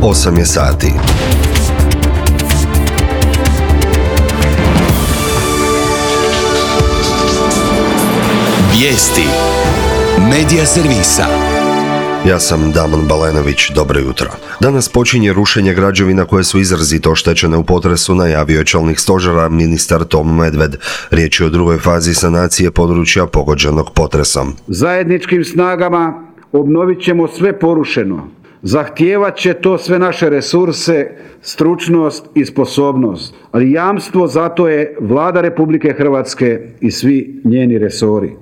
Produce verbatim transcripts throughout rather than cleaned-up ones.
osam je sati. Vijesti Medija servisa. Ja sam Damon Balenović, dobro jutro. Danas počinje rušenje građevina koje su izrazito oštećene u potresu, najavio je čelnik stožera ministar Tomo Medved. Riječ je o drugoj fazi sanacije područja pogođenog potresom. Zajedničkim snagama obnovit ćemo sve porušeno. Zahtijevat će to sve naše resurse, stručnost i sposobnost, ali jamstvo za to je Vlada Republike Hrvatske i svi njeni resori.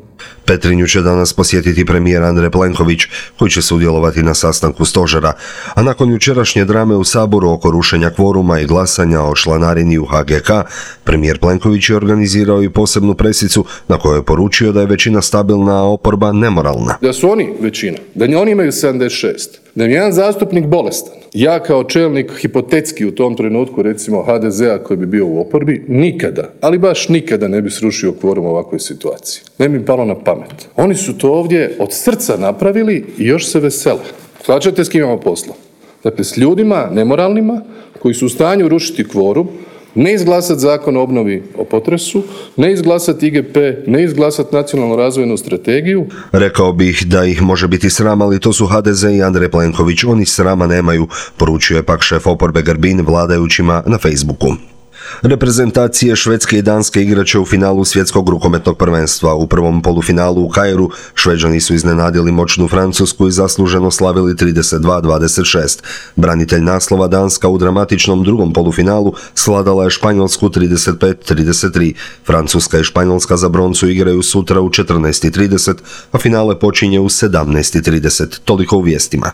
Petrinju će danas posjetiti premijer Andrej Plenković, koji će sudjelovati na sastanku stožera, a nakon jučerašnje drame u Saboru oko rušenja kvoruma i glasanja o članarini u H G K, premijer Plenković je organizirao i posebnu presicu na kojoj je poručio da je većina stabilna, a oporba nemoralna. Da su oni većina, da oni imaju sedamdeset šest, da je jedan zastupnik bolestan. Ja kao čelnik hipotetski u tom trenutku, recimo H D Z-a koji bi bio u oporbi, nikada, ali baš nikada ne bi srušio kvorum u ovakvoj situaciji. Ne bi palo na pamet. Oni su to ovdje od srca napravili i još se vesele. Shvaćate s kim imamo posla? Dakle, s ljudima nemoralnima koji su u stanju rušiti kvorum, ne izglasati zakon o obnovi o potresu, ne izglasati I G P, ne izglasati nacionalnu razvojnu strategiju. Rekao bih da ih može biti sram, ali to su H D Z i Andrej Plenković. Oni srama nemaju, poručio je pak šef oporbe Grbin vladajućima na Facebooku. Reprezentacije Švedske i Danske igraće u finalu svjetskog rukometnog prvenstva. U prvom polufinalu u Kairu Šveđani su iznenadili moćnu Francusku i zasluženo slavili trideset dva dvadeset šest. Branitelj naslova Danska u dramatičnom drugom polufinalu svladala je Španjolsku trideset pet trideset tri. Francuska i Španjolska za broncu igraju sutra u četrnaest i trideset, a finale počinje u sedamnaest i trideset. Toliko u vijestima.